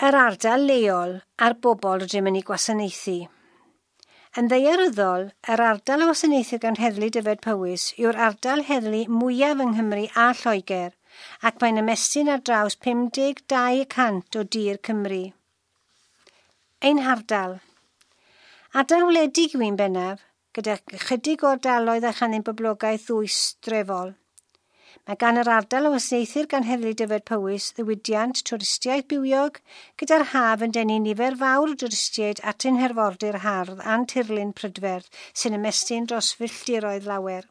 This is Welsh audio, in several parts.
Yr ardal leol a'r bobl rydym yn ei gwasanaethu. Yn ddaearyddol, yr ardal a wasanaethir gan Heddlu Dyfed-Powys yw'r ardal heddlu mwyaf yng Nghymru a Lloegr, ac mae'n ymestyn ar draws 52% o dir Cymru. Ein hardal. Ardal wledig yw un bennaf, gyda chydig o ardaloedd a chanyn boblogaeth ddwys drefol. Mae gan yr ardal o wasanaethir gan Heddlu Dyfed-Powys ddiwydiant twristiaeth bywiog, gyda'r haf yn denu nifer fawr o dwristiaid at ein herfordir hardd a'n tirlun prydferth sy'n ymestyn dros filltiroedd lawer.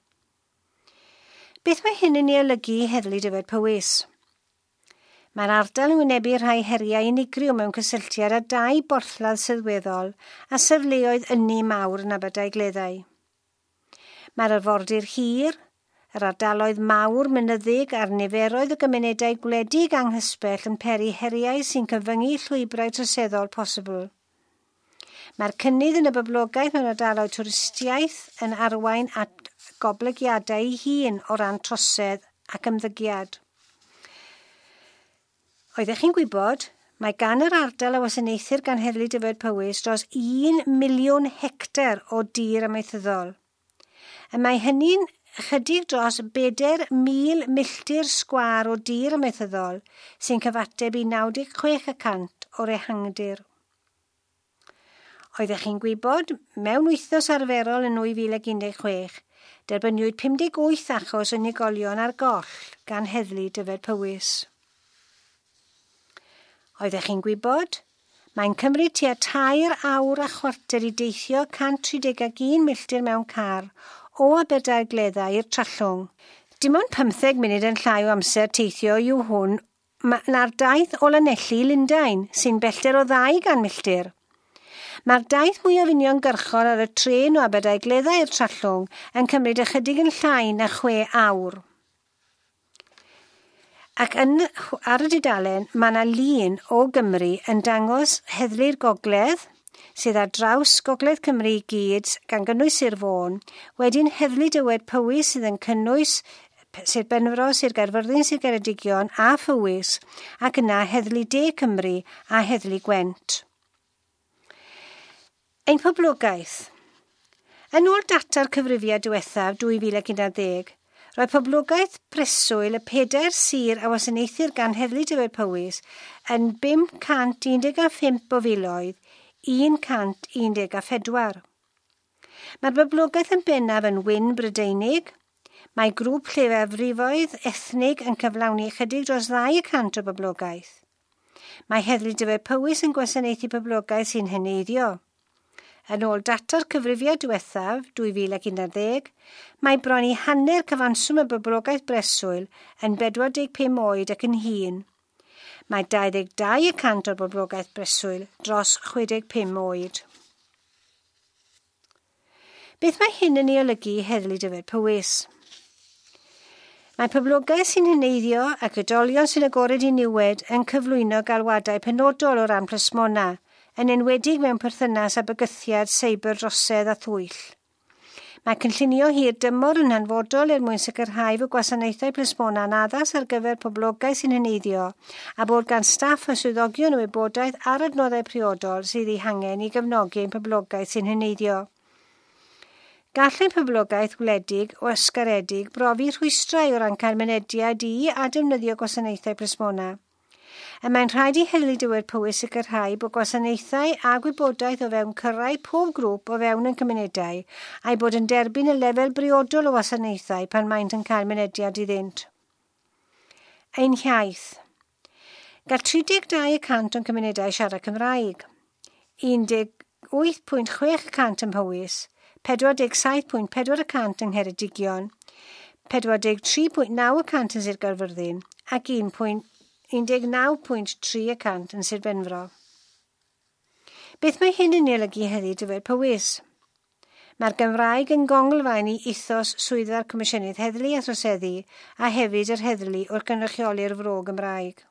Beth mae hyn yn ei olygu i Heddlu Dyfed-Powys? Mae'r ardal yn wynebu rhai heriau unigryw mewn cysylltiad â dau borthladd sylweddol a safleoedd ynni mawr yn Aberdaugleddau. Mae'r arfordir hir, yr ardaloedd mawr mynyddig a'r niferoedd o gymunedau gwledig anghysbell yn peri heriau sy'n cyfyngu llwybrau troseddol posibl. Mae'r cynnydd yn y boblogaeth mewn ardaloedd twristiaeth yn arwain at goblygiadau ei hun o ran trosedd ac ymddygiad. Oeddech chi'n gwybod, mae gan yr ardal a wasanaethir gan Heddlu Dyfed-Powys dros 1 miliwn hectar o dir amaethyddol. Y mae hynny'n ychydig dros 4,000 milltir sgwâr o dir amaethyddol sy'n cyfateb i 96% o'r ehangdir. Oeddech chi'n gwybod, mewn wythnos arferol yn 2016, derbyniwyd 58 achos unigolion ar goll gan Heddlu Dyfed-Powys. Oeddech chi'n gwybod? Mae'n cymryd tua 3 awr a chwarter i deithio 131 milltir mewn car o Aberdaugleddau i'r Trallwng. Dim ond 15 munud yn llai o amser teithio yw hwn na'r daith o Lanelli i Lundain, sy'n bellter o 200 milltir. Mae'r daith mwyaf uniongyrchol ar y trên o Aberdaugleddau i'r Trallwng yn cymryd ychydig yn llai na 6 awr. Ac ar y dudalen, mae yna lun o Gymru yn dangos Heddlu'r Gogledd, sydd ar draws Gogledd Cymru i gyd, gan gynnwys Sir Fôn, wedyn Heddlu Dyfed-Powys sydd yn cynnwys Sir Benfro, Sir Gaerfyrddin, Sir Geredigion a Phowys, ac yna Heddlu De Cymru a Heddlu Gwent. Ein poblogaeth. Yn ôl data'r cyfrifiad diwethaf 2011, roedd poblogaeth preswyl y pedair sir a wasanaethir gan Heddlu Dyfed-Powys yn 515 o filoedd 114. Mae'r boblogaeth yn bennaf yn wyn Brydeinig. Mae grŵp lleiafrifoedd ethnig yn cyflawni ychydig dros 2% o boblogaeth. Mae Heddlu Dyfed-Powys yn gwasanaethu poblogaeth sy'n heneiddio. Yn ôl data'r cyfrifiad diwethaf, 2011, mae bron i hanner cyfanswm y boblogaeth breswyl yn 45 oed ac yn hŷn. Mae 22% o'r boblogaeth breswyl dros 65 oed. Beth mae hyn yn ei olygu i Heddlu Dyfed-Powys? Mae poblogaeth sy'n heneiddio ac oedolion sy'n agored i niwed yn cyflwyno galwadau penodol o ran plismona, yn enwedig mewn perthynas â bygythiad seiberdrosedd a thwyll. Mae cynllunio hir dymor yn hanfodol er mwyn sicrhau fod gwasanaethau plismona'n addas ar gyfer poblogaeth sy'n heneiddio a bod gan staff a swyddogion y wybodaeth a'r adnoddau priodol sydd eu hangen i gefnogi ein poblogaeth sy'n heneiddio. Gall ein poblogaeth wledig o ysgaredig brofi rhwystrau o ran cael mynediad i a defnyddio gwasanaethau plismona. Y mae'n rhaid i Heddlu Dyfed-Powys sicrhau bod gwasanaethau a gwybodaeth o fewn cyrraedd pob grŵp o fewn ein cymunedau a'i bod yn derbyn y lefel briodol o wasanaethau pan maent yn cael mynediad iddynt. Ein hiaith. Gall 32% o'n cymunedau siarad Cymraeg, 18.6% ym Mhowys, 47.4% yng Ngheredigion, 43.9% yn Sir Gaerfyrddin ac 19.3% yn Sir Benfro. Beth mae hyn yn ei olygu heddiw Dyfed-Powys? Mae'r Gymraeg yn gonglfaen i ethos swyddfa'r Comisiynydd Heddlu a Throseddu a hefyd yr heddlu wrth gynrychioli'r fro Gymraeg.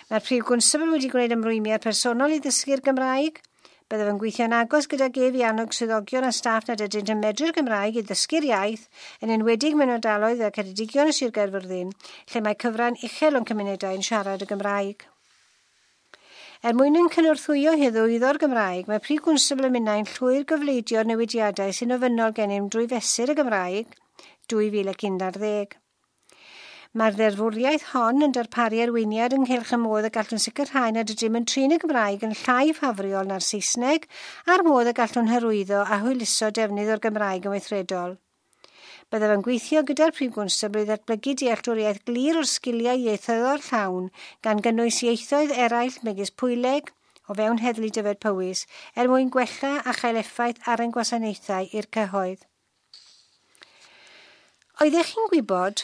Mae'r Prif Gwnstabl wedi gwneud ymrwymiad personol i ddysgu'r Gymraeg. Byddaf yn gweithio'n agos gydag ef i annog swyddogion a staff nad ydynt yn medru'r Gymraeg i ddysgu'r iaith, yn enwedig mewn ardaloedd fel Ceredigion a Sir Gaerfyrddin, lle mae cyfran uchel o'n cymunedau yn siarad y Gymraeg. Er mwyn yn cynorthwyo hyrwyddo'r Gymraeg, mae Prif Gwnstabl a minnau'n llwyr gofleidio'r newidiadau sy'n ofynnol gennym drwy Fesur y Gymraeg 2011. Mae'r ddeddfwriaeth hon yn darparu arweiniad ynghylch y modd y gallwn sicrhau nad ydym yn trin y Gymraeg yn llai ffafriol na'r Saesneg a'r modd y gallwn hyrwyddo a hwyluso defnydd o'r Gymraeg yn weithredol. Byddaf yn gweithio gyda'r Prif Gwnstabl i ddatblygu dealltwriaeth glir o'r sgiliau ieithyddol llawn gan gynnwys ieithoedd eraill megis Pwyleg o fewn Heddlu Dyfed Powys er mwyn gwella a chael effaith ar ein gwasanaethau i'r cyhoedd. Oeddech chi'n gwybod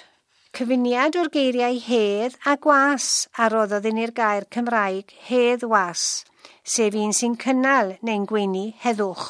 cyfuniad o'r geiriau hedd a gwas a roddodd i ni'r gair Cymraeg hedd was, sef un sy'n cynnal neu'n gweini heddwch.